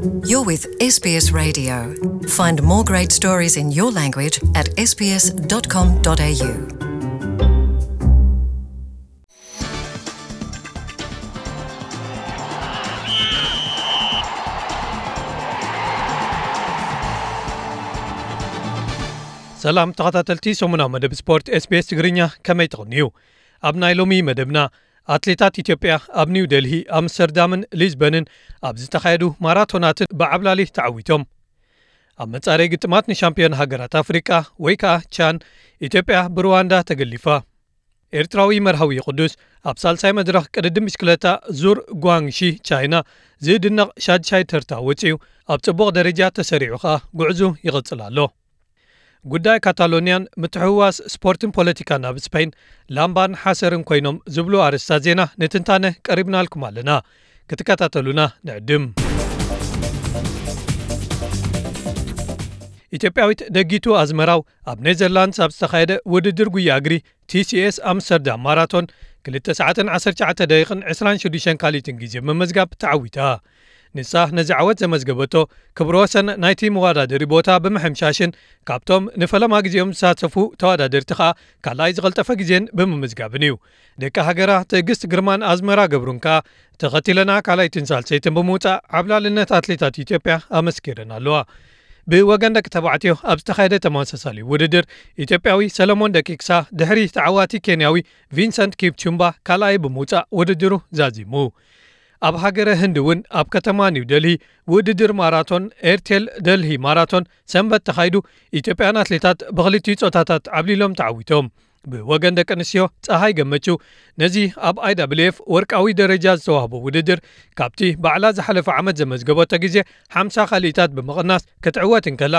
You're with S B S Radio. Find more great stories in your language at S B S dot com dot A U. ሰላም ተኸታተልቲ ሰሙናዊ መደብ ስፖርት S B S ትግርኛ፣ ከመይ ትቕንዩ? ኣብ ናይ ሎሚ መደብና፣ ኣትሌታት ኢትዮጵያ ኣብ ኒው ደልሂ፣ ኣምስተርዳምን ሊዝበንን ኣብ ዝተኻየዱ ማራቶናትን ብዓብላሊ ተዓዊቶም። ኣብ መጻረይ ግጥማት ንሻምፒዮን ሃገራት ኣፍሪቃ ወይ ከኣ ቻን፣ ኢትዮጵያ ብሩዋንዳ ተገሊፋ። ኤርትራዊ መርሃዊ ቅዱስ ኣብ ሳልሳይ መድረኽ ቅድድም ብሽክለታ ዙር ጓንግሺ ቻይና ዝድነቕ ሻድሻይ ተርታ ወጺኡ፣ ኣብ ጽቡቕ ደረጃ ተሰሪዑ ከኣ ጉዕዙ ይቕጽል ኣሎ። ጉዳይ ካታሎኒያን ምትሕውዋስ ስፖርትን ፖለቲካን ኣብ ስፔን ላምባን ሓሰርን ኮይኖም ዝብሉ ኣርእስታት ዜና ንትንታነ ቀሪብናልኩም ኣለና። ክትከታተሉና ንዕድም። ኢትዮጵያዊት ደጊቱ ኣዝመራው ኣብ ኔዘርላንድስ ኣብ ዝተኻየደ ውድድር ጉያ እግሪ T C S ኣምስተርዳም ማራቶን ክልተ ሰዓትን ዓሰርተ ትሽዓተ ደቂቕን ዕስራን ሽዱሽተን ካሊትን ግዜ ብምምዝጋብ ተዓዊታ። ንሳ ነዚ ዓወት ዘመዝገበቶ ክብረ ወሰን ናይቲ መወዳደሪ ቦታ ብምሕምሻሽን ካብቶም ንፈለማ ግዜኦም ዝሳተፉ ተወዳደርቲ ከኣ ካልኣይ ዝቐልጠፈ ግዜን ብምምዝጋብን እዩ። ደቂ ሃገራ ትዕግስት ግርማን ኣዝመራ ገብሩን ከኣ ተኸቲለና ካልኣይትን ሳልሰይትን ብምውጻእ ዓብላልነት ኣትሌታት ኢትዮጵያ ኣመስኪረን ኣለዋ። ብወገን ደቂ ተባዕትዮ ኣብ ዝተኻየደ ተመሳሳሊ ውድድር፣ ኢትዮጵያዊ ሰለሞን ደቂቅሳ ድሕሪ ተዓዋቲ ኬንያዊ ቪንሰንት ኪፕቹምባ ካልኣይ ብምውጻእ ውድድሩ ዛዚሙ። ኣብ ሃገረ ህንዲ እውን ኣብ ከተማ ኒው ደልሂ ውድድር ማራቶን ኤርቴል ደልሂ ማራቶን ሰንበት ተኻይዱ፣ ኢትዮጵያን ኣትሌታት ብኽልቲኡ ጾታታት ዓብሊሎም ተዓዊቶም። ብወገን ደቂ ኣንስትዮ፣ ጸሃይ ገመቹ ነዚ ኣብ I W F ወርቃዊ ደረጃ ዝተዋህቦ ውድድር ካብቲ ባዕላ ዝሓለፈ ዓመት ዘመዝገበቶ ግዜ ሓምሳ ካልኢታት ብምቕናስ ክትዕወት እንከላ፣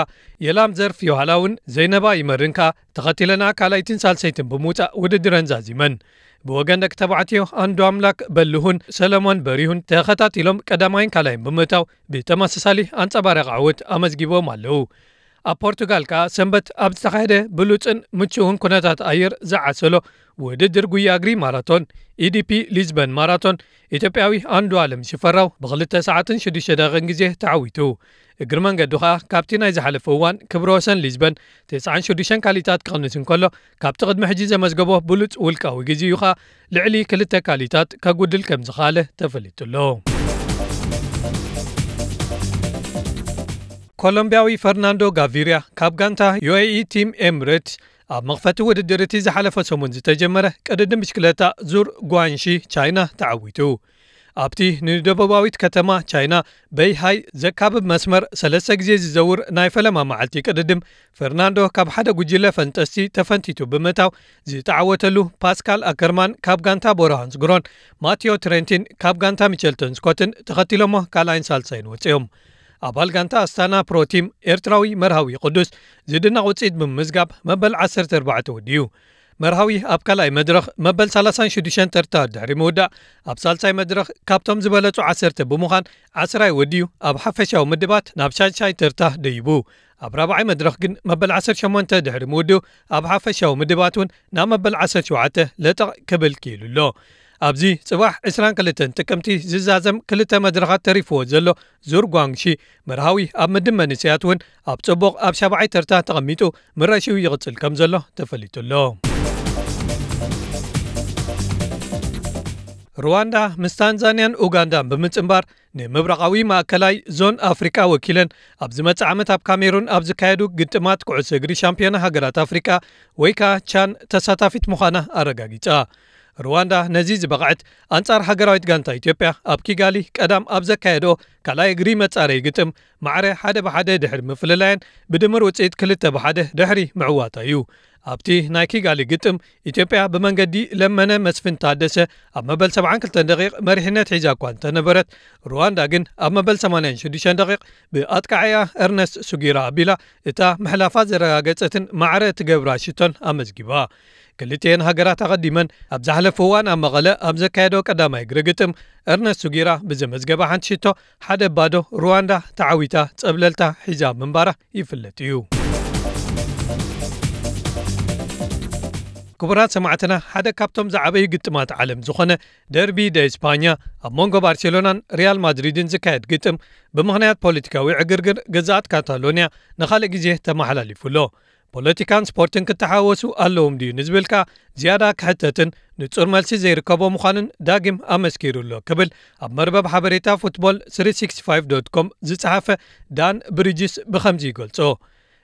የላም ዘርፍ ዮሃላ እውን ዘይነባ ይመርን ከኣ ተኸቲለና ካልኣይትን ሳልሰይትን ብምውጻእ ውድድረን ዛዚመን። ብወገን ደቂ ተባዕትዮ፣ ኣንዱ ኣምላክ በልሁን ሰለሞን በሪሁን ተኸታቲሎም ቀዳማይን ካልኣይን ብምእታው ብተመሳሳሊ ኣንጸባራቂ ዓወት ኣመዝጊቦም ኣለዉ። ኣብ ፖርቱጋል ከኣ ሰንበት ኣብ ዝተኻየደ ብሉጽን ምቹውን ኩነታት ኣየር ዝዓሰሎ ውድድር ጉያ እግሪ ማራቶን፣ E D P ሊዝበን ማራቶን፣ ኢትዮጵያዊ ኣንዱ ኣለም ሽፈራው ብኽልተ ሰዓትን ሽዱሽተ ደቂቕን ግዜ ተዓዊቱ። እግሪ መንገዱ ኸኣ ካብቲ ናይ ዝሓለፈ እዋን ክብረ ወሰን ሊዝበን ተስዓን ሽዱሽተን ካልኢታት ክቕንስ እንከሎ፣ ካብቲ ቅድሚ ሕጂ ዘመዝገቦ ብሉጽ ውልቃዊ ግዜኡ ኸኣ ልዕሊ ክልተ ካልኢታት ከጉድል ከም ዝኸኣለ ተፈሊጡ ኣሎ። ኮሎምቢያዊ ፈርናንዶ ጋቪርያ ካብ ጋንታ U A E ቲም ኤምሬትስ ኣብ መኽፈቲ ውድድር እቲ ዝሓለፈ ሰሙን ዝተጀመረ ቅድድም ብሽክለታ ዙር ጓንሺ ቻይና ተዓዊቱ። ኣብቲ ንደቡባዊት ከተማ ቻይና በይሃይ ዘካብብ መስመር ሰለስተ ግዜ ዝዘውር ናይ ፈለማ መዓልቲ ቅድድም፣ ፈርናንዶ ካብ ሓደ ጉጅለ ፈንጠስቲ ተፈንቲቱ ብምእታው ዝተዓወተሉ ፓስካል ኣከርማን ካብ ጋንታ ቦራ ሃንስግሮን ማቴዮ ትሬንቲን ካብ ጋንታ ሚቸልተን ስኮትን ተኸቲሎሞ ካልኣይን ሳልሳይን ወጺኦም። ኣባል ጋንታ ኣስታና ፕሮ ቲም ኤርትራዊ መርሃዊ ቅዱስ ዝድነቕ ውጽኢት ብምምዝጋብ መበል ዓሰርተ ኣርባዕተ ወዲኡ። መርሃዊ ኣብ ካልኣይ መድረኽ መበል ሰላሳን ሽዱሽተን ተርታ ድሕሪ ምውዳእ፣ ኣብ ሳልሳይ መድረኽ ካብቶም ዝበለጹ ዓሰርተ ብምዃን ዓስራይ ወዲኡ ኣብ ሓፈሻዊ ምድባት ናብ ሻድሻይ ተርታ ደይቡ። ኣብ ራብዓይ መድረኽ ግን መበል ዓሰርተ ሸሞንተ ድሕሪ ምውድኡ ኣብ ሓፈሻዊ ምድባት እውን ናብ መበል ዓሰርተ ሸውዓተ ለጠቕ ክብል ክኢሉ ኣሎ። ኣብዚ ጽባሕ ዕስራን ክልተን ጥቅምቲ ዝዛዘም ክልተ መድረኻት ተሪፍዎ ዘሎ ዙር ጓንግሺ መርሃዊ ኣብ ምድብ መንእሰያት እውን ኣብ ጽቡቕ ኣብ ሻብዓይ ተርታ ተቐሚጡ ምረሽው ይቕጽል ከም ዘሎ ተፈሊጡ ኣሎ። ሩዋንዳ ምስ ታንዛንያን ኡጋንዳን ብምጽንባር ንምብራቓዊ ማእከላይ ዞን ኣፍሪቃ ወኪለን ኣብ ዝመጽእ ዓመት ኣብ ካሜሩን ኣብ ዝካየዱ ግጥማት ኩዕሶ እግሪ ሻምፒዮና ሃገራት ኣፍሪቃ ወይ ከኣ ቻን ተሳታፊት ምዃና ኣረጋጊጻ። ሩዋንዳ ነዚ ዝበቕዐት ኣንጻር ሃገራዊት ጋንታ ኢትዮጵያ ኣብ ኪጋሊ ቀዳም ኣብ ዘካየዶ ካልኣይ እግሪ መጻረዪ ግጥም ማዕረ ሓደ ብሓደ ድሕሪ ምፍልላየን ብድምር ውጽኢት ክልተ ብሓደ ድሕሪ ምዕዋታ እዩ። ኣብቲ ናይ ኪጋሊ ግጥም ኢትዮጵያ ብመንገዲ ለመነ መስፍን ታደሰ ኣብ መበል ሰብዓን ክልተን ደቂቕ መሪሕነት ሒዛ እኳ እንተነበረት፣ ሩዋንዳ ግን ኣብ መበል ሰማንያን ሽዱሽተን ደቂቕ ብኣጥቃዓያ ኤርነስት ሱጊራ ኣቢላ እታ ምሕላፋ ዘረጋገጸትን ማዕረ እትገብራ ሽቶን ኣመዝጊባ። ክልቲኤን ሃገራት ኣቐዲመን ኣብ ዝሓለፈ እዋን ኣብ መቐለ ኣብ ዘካየዶ ቀዳማይ እግሪ ግጥም፣ ኤርነስት ሱጊራ ብዘመዝገባ ሓንቲ ሽቶ ሓደ ባዶ ሩዋንዳ ተዓዊታ ጸብለልታ ሒዛ ምንባራ ይፍለጥ እዩ። ክቡራት ሰማዕትና፣ ሓደ ካብቶም ዝዓበዩ ግጥማት ዓለም ዝኾነ ደርቢ ደ ስፓኛ ኣብ መንጎ ባርሴሎናን ሪያል ማድሪድን ዝካየድ ግጥም፣ ብምኽንያት ፖለቲካዊ ዕግርግር ግዝኣት ካታሎንያ ንኻልእ ግዜ ተመሓላሊፉ ኣሎ። ፖለቲካን ስፖርትን ክተሓወሱ ኣለዎም ድዩ ንዝብል ከኣ ዝያዳ ክሕተትን ንጹር መልሲ ዘይርከቦ ምዃኑን ዳግም ኣመስኪሩ ኣሎ ክብል ኣብ መርበብ ሓበሬታ ፉትቦል ስሪ ሲክስቲ ፋይቭ ዶት ኮም ዝጸሓፈ ዳን ብሪጅስ ብኸምዚ ይገልጾ።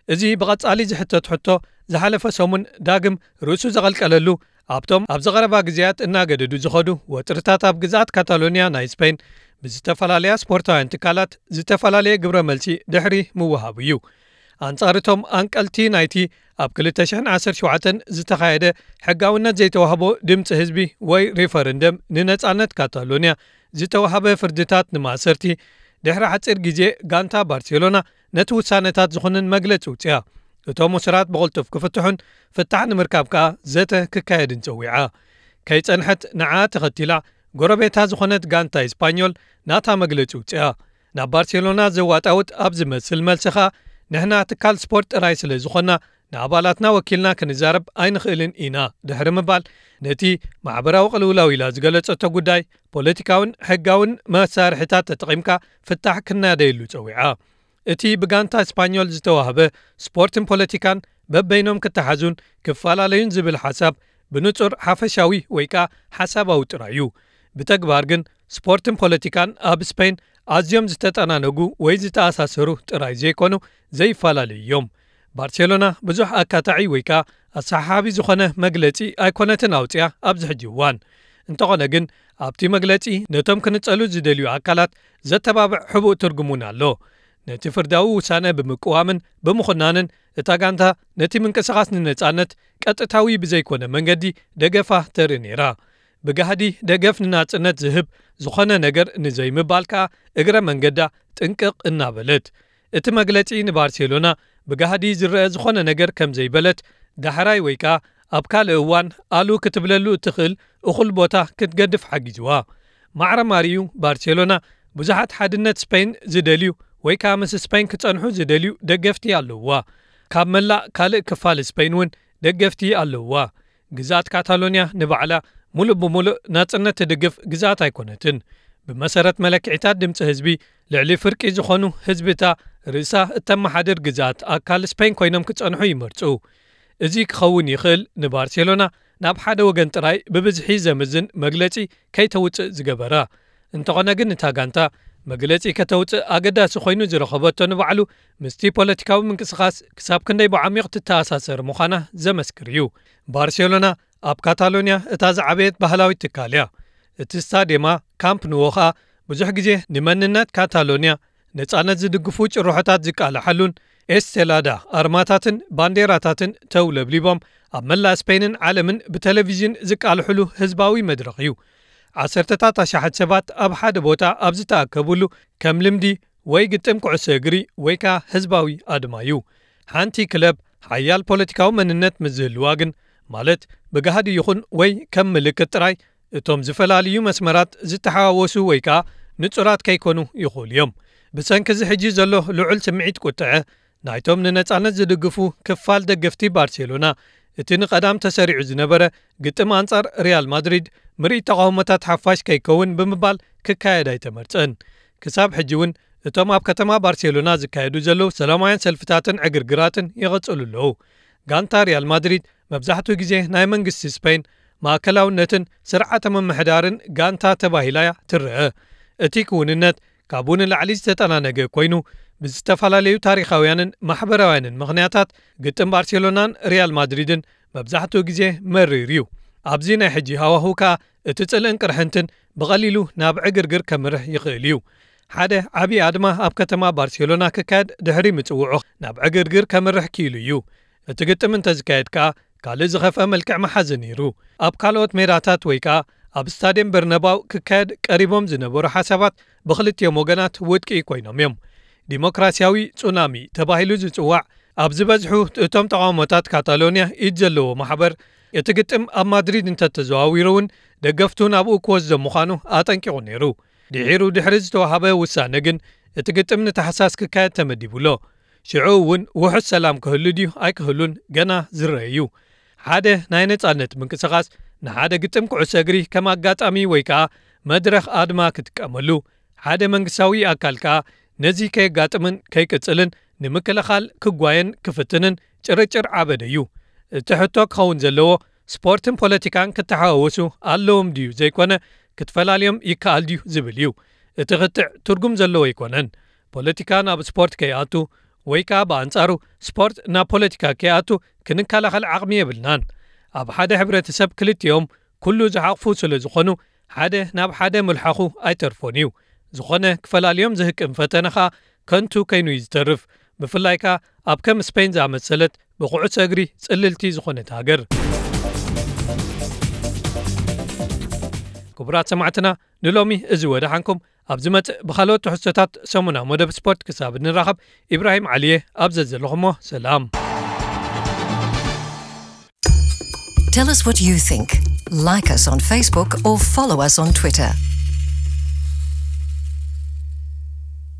እዚ ብቐጻሊ ዝሕተት ሕቶ ዝሓለፈ ሰሙን ዳግም ርእሱ ዘቐልቀለሉ፣ ኣብቶም ኣብዚ ቀረባ ግዜያት እናገደዱ ዝኸዱ ወጥርታት ኣብ ግዝኣት ካታሎንያ ናይ ስፔን ብዝተፈላለያ ስፖርታውያን ትካላት ዝተፈላለየ ግብረ መልሲ ድሕሪ ምውሃቡ እዩ። ኣንጻር እቶም ኣንቀልቲ ናይቲ ኣብ ክልተ ሽሕን ዓሰርተ ሸውዓተን ዝተኻየደ ሕጋውነት ዘይተዋህቦ ድምፂ ህዝቢ ወይ ሪፈረንደም ንነጻነት ካታሎንያ ዝተዋህበ ፍርድታት ንማእሰርቲ፣ ድሕሪ ሓፂር ግዜ ጋንታ ባርሴሎና ነቲ ውሳነታት ዝኹንን መግለፂ ውፅያ። እቶም እሱራት ብቕልጡፍ ክፍትሑን ፍታሕ ንምርካብ ከኣ ዘተ ክካየድን ጸዊዓ። ከይጸንሐት ንዓ ተኸቲላ ጎረቤታ ዝኾነት ጋንታ ኢስፓኞል ናታ መግለጺ ውጽኣ። ናብ ባርሴሎና ዘዋጣውጥ ኣብ ዝመስል መልሲ ኸኣ፣ ንሕና ትካል ስፖርት ጥራይ ስለ ዝኾንና ንኣባላትና ወኪልና ክንዛረብ ኣይንኽእልን ኢና ድሕሪ ምባል፣ ነቲ ማሕበራዊ ቅልውላው ኢላ ዝገለጸቶ ጉዳይ ፖለቲካውን ሕጋውን መሳርሒታት ተጠቒምካ ፍታሕ ክናደየሉ ጸዊዓ። እቲ ብጋንታ ስፓኞል ዝተዋህበ ስፖርትን ፖለቲካን በበይኖም ክተሓዙን ክፈላለዩን ዝብል ሓሳብ ብንጹር ሓፈሻዊ ወይ ከኣ ሓሳባዊ ጥራይ እዩ። ብተግባር ግን ስፖርትን ፖለቲካን ኣብ ስፔን ኣዝዮም ዝተጠናነጉ ወይ ዝተኣሳሰሩ ጥራይ ዘይኮኑ ዘይፈላለዩ እዮም። ባርሴሎና ብዙሕ ኣካታዒ ወይ ከኣ ኣሰሓሓቢ ዝኾነ መግለጺ ኣይኮነትን ኣውጽያ ኣብዚ ሕጂ እዋን። እንተኾነ ግን ኣብቲ መግለጺ ነቶም ክንጸሉ ዝደልዩ ኣካላት ዘተባብዕ ሕቡእ ትርጉም እውን ኣሎ። ነቲ ፍርዳዊ ውሳነ ብምቅዋምን ብምኹናንን እታ ጋንታ ነቲ ምንቅስቓስ ንነጻነት ቀጥታዊ ብዘይኮነ መንገዲ ደገፋ ተርኢ ነይራ። ብጋህዲ ደገፍ ንናጽነት ዝህብ ዝኾነ ነገር ንዘይምባል ከኣ እግረ መንገዳ ጥንቅቕ እናበለት። እቲ መግለጺ ንባርሴሎና ብጋህዲ ዝረአ ዝኾነ ነገር ከም ዘይበለት ዳሕራይ ወይ ከኣ ኣብ ካልእ እዋን ኣሉ ክትብለሉ እትኽእል እኹል ቦታ ክትገድፍ ሓጊዝዋ። ማዕረ ማሪኡ ባርሴሎና ብዙሓት ሓድነት ስፔን ዝደልዩ ወይ ከኣ ምስ ስፔን ክጸንሑ ዝደልዩ ደገፍቲ ኣለውዋ። ካብ መላእ ካልእ ክፋል ስፔን እውን ደገፍቲ ኣለውዋ። ግዝኣት ካታሎንያ ንባዕላ ሙሉእ ብሙሉእ ናጽነት ትድግፍ ግዝኣት ኣይኮነትን። ብመሰረት መለክዒታት ድምጺ ህዝቢ፣ ልዕሊ ፍርቂ ዝኾኑ ህዝብታ ርእሳ እተመሓድር ግዝኣት ኣካል ስፔን ኮይኖም ክጸንሑ ይመርጹ። እዚ ክኸውን ይኽእል ንባርሴሎና ናብ ሓደ ወገን ጥራይ ብብዝሒ ዘምዝን መግለጺ ከይተውጽእ ዝገበራ። እንተኾነ ግን እታ ጋንታ መግለጺ ከተውጽእ ኣገዳሲ ኮይኑ ዝረኸበቶ ንባዕሉ ምስቲ ፖለቲካዊ ምንቅስቓስ ክሳብ ክንደይ ብዓሚቕ ትተኣሳሰር ምዃና ዘመስክር እዩ። ባርሴሎና ኣብ ካታሎንያ እታ ዝዓበየት ባህላዊት ትካል እያ። እቲ ስታድየማ ካምፕ ኑዎ ኸኣ ብዙሕ ግዜ ንመንነት ካታሎንያ ነጻነት ዝድግፉ ጭርሖታት ዝቃልሓሉን ኤስቴላዳ ኣርማታትን ባንዴራታትን ተውለብሊቦም ኣብ መላእ ስፔንን ዓለምን ብቴሌቪዥን ዝቃልሕሉ ህዝባዊ መድረኽ እዩ። ዓሰርተታት ኣሽሓት ሰባት ኣብ ሓደ ቦታ ኣብ ዝተኣከብሉ ከም ልምዲ ወይ ግጥም ኩዕሶ እግሪ ወይ ከኣ ህዝባዊ ኣድማ እዩ። ሓንቲ ክለብ ሓያል ፖለቲካዊ መንነት ምስ ዝህልዋ ግን፣ ማለት ብጋህዲ ይኹን ወይ ከም ምልክት ጥራይ፣ እቶም ዝፈላልዩ መስመራት ዝተሓዋወሱ ወይ ከኣ ንጹራት ከይኮኑ ይኽእሉ እዮም። ብሰንኪ እዚ ሕጂ ዘሎ ልዑል ስምዒት ቁጥዐ ናይቶም ንነጻነት ዝድግፉ ክፋል ደገፍቲ ባርሴሎና፣ እቲ ንቐዳም ተሰሪዑ ዝነበረ ግጥም ኣንጻር ሪያል ማድሪድ ምርኢት ተቓውሞታት ሓፋሽ ከይከውን ብምባል ክካየድ ኣይተመርጸን። ክሳብ ሕጂ እውን እቶም ኣብ ከተማ ባርሴሎና ዝካየዱ ዘለዉ ሰላማውያን ሰልፍታትን ዕግርግራትን ይቕጽሉ ኣለዉ። ጋንታ ሪያል ማድሪድ መብዛሕትኡ ግዜ ናይ መንግስቲ ስፔን ማእከላውነትን ስርዓተ ምምሕዳርን ጋንታ ተባሂላ እያ ትረአ። እቲ ክውንነት ካብኡ ንላዕሊ ዝተጠናነገ ኮይኑ፣ ብዝተፈላለዩ ታሪኻውያንን ማሕበራውያንን ምኽንያታት ግጥም ባርሴሎናን ሪያል ማድሪድን መብዛሕትኡ ግዜ መሪር እዩ። ኣብዚ ናይ ሕጂ ሃዋህው ከኣ እቲ ጽልእን ቅርሕንትን ብቐሊሉ ናብ ዕግርግር ከምርሕ ይኽእል እዩ። ሓደ ዓቢ ኣድማ ኣብ ከተማ ባርሴሎና ክካየድ ድሕሪ ምጽውዑ ናብ ዕግርግር ከምርሕ ክኢሉ እዩ። እቲ ግጥም እንተዝካየድ ከኣ ካልእ ዝኸፍአ መልክዕ ምሓዘ ነይሩ። ኣብ ካልኦት ሜዳታት ወይ ከኣ ኣብ ስታድየም በርነባው ክካየድ ቀሪቦም ዝነበሩ ሓሳባት ብኽልቲኦም ወገናት ውድቂ ኮይኖም እዮም። ዲሞክራሲያዊ ጹናሚ ተባሂሉ ዝጽዋዕ ኣብ ዝበዝሑ እቶም ተቓውሞታት ካታሎንያ ኢድ ዘለዎ ማሕበር፣ እቲ ግጥም ኣብ ማድሪድ እንተተዘዋዊሩ እውን ደገፍቱ ናብኡ ክወስዶ ምዃኑ ኣጠንቂቑ ነይሩ። ድሒሩ ድሕሪ ዝተዋሃበ ውሳነ ግን እቲ ግጥም ንታሕሳስ ክካየድ ተመዲቡ ኣሎ። ሽዑ እውን ውሑስ ሰላም ክህሉ ድዩ ኣይክህሉን ገና ዝረአ እዩ። ሓደ ናይ ነጻነት ምንቅስቓስ ንሓደ ግጥም ኩዕሶ እግሪ ከም ኣጋጣሚ ወይ ከኣ መድረኽ ኣድማ ክጥቀመሉ፣ ሓደ መንግስታዊ ኣካል ከኣ ነዚ ከየጋጥምን ከይቅጽልን ንምክልኻል ክጓየን ክፍትንን ጭርጭር ዓበደ እዩ። እቲ ሕቶ ክኸውን ዘለዎ፣ ስፖርትን ፖለቲካን ክተሓዋወሱ ኣለዎም ድዩ ዘይኮነ፣ ክትፈላልዮም ይከኣል ድዩ ዝብል እዩ። እቲ ክትዕ ትርጉም ዘለዎ ኣይኮነን። ፖለቲካ ናብ ስፖርት ከይኣቱ ወይ ከኣ ብኣንጻሩ ስፖርት ናብ ፖለቲካ ከይኣቱ ክንከላኸል ዓቕሚ የብልናን። ኣብ ሓደ ሕብረተሰብ ክልቲኦም ኩሉ ዝሓቕፉ ስለ ዝኾኑ፣ ሓደ ናብ ሓደ ምልሓኹ ኣይተርፎን እዩ። ዝኾነ ክፈላልዮም ዝህቅን ፈተነ ኸኣ ከንቱ ከይኑ እዩ ዝተርፍ። ብፍላይ ከኣ ኣብ ከም ስፔን ዝኣመሰለት ብኩዕሶ እግሪ ጽልልቲ ዝኾነት ሃገር። ክቡራት ሰማዕትና፣ ንሎሚ እዚ ወደሓንኩም። ኣብ ዝመጽእ ብኻልኦት ትሕዝቶታት ሰሙና መደብ ስፖርት ክሳብ እንራኸብ፣ ኢብራሂም ዓሊየ ኣብ ዘዘለኹሞ ሰላም። Tell us what you think. Like us on Facebook or follow us on Twitter.